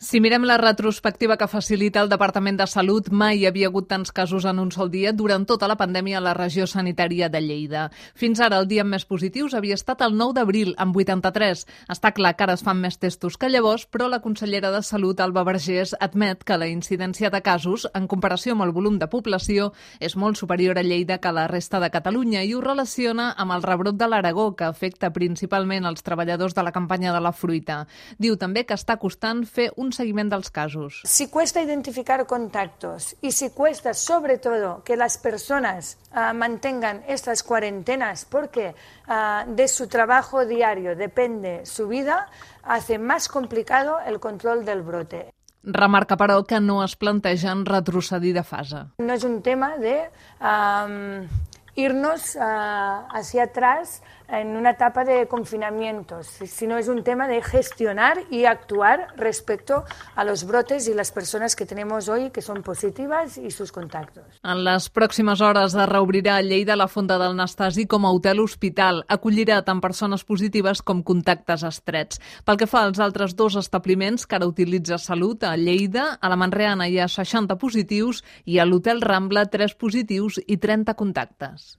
Si mirem la retrospectiva que facilita el Departament de Salut, mai hi havia hagut tants casos en un sol dia durant tota la pandèmia a la regió sanitària de Lleida. Fins ara, el dia amb més positius havia estat el 9 d'abril, amb 83. Està clar que ara es fan més testos que llavors, però la consellera de Salut, Alba Vergés, admet que la incidència de casos, en comparació amb el volum de població, és molt superior a Lleida que a la resta de Catalunya i ho relaciona amb el rebrot de l'Aragó, que afecta principalment els treballadors de la campanya de la fruita. Diu també que està costant fer un seguiment dels casos. Si cuesta identificar contactos y si cuesta sobre todo que las personas mantengan estas cuarentenas porque de su trabajo diario depende su vida, hace más complicado el control del brote. Remarca, però, que no es plantegen retrocedir de fase. No es un tema de irnos hacia atrás en una etapa de confinamientos, sino es un tema de gestionar y actuar respecto a los brotes y las personas que tenemos hoy que son positivas y sus contactos. En les pròximes hores es reobrirà a Lleida la Fonda del Nastasi com a hotel-hospital. Acollirà tant persones positives com contactes estrets. Pel que fa als altres dos establiments que ara utilitza Salut, a Lleida, a la Manreana hi ha 60 positius i a l'Hotel Rambla 3 positius i 30 contactes.